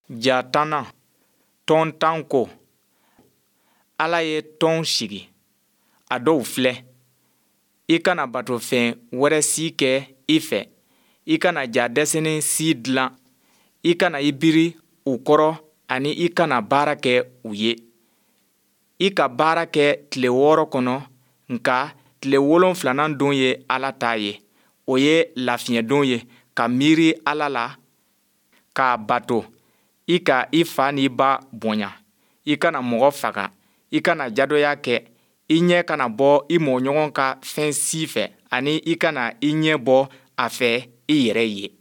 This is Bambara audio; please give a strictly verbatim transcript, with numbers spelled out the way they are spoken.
Ja tannan, tɔn tan ko. Ala ye tɔnw sigi, a dɔw filɛ, I kana batofɛn wɛrɛ si kɛ i fɛ. I kana ja dɛsɛnen si dilan. I kana i biri u kɔrɔ ani i kana baara kɛ u ye. I ka baara kɛ tile wɔɔrɔ kɔnɔ, nka tile wolonfilanan don ye Ala ta ye, o ye lafiɲɛ don ye, ka miiri Ala la, k'a bato. I ka i fa ni i ba bonya. I kana mɔgɔ faga. I kana jadɔya kɛ. I ɲɛ kana bɔ i mɔgɔɲɔgɔn ka fɛn si fɛ, ani i kana i ɲɛ bɔ a fɛ i yɛrɛ ye.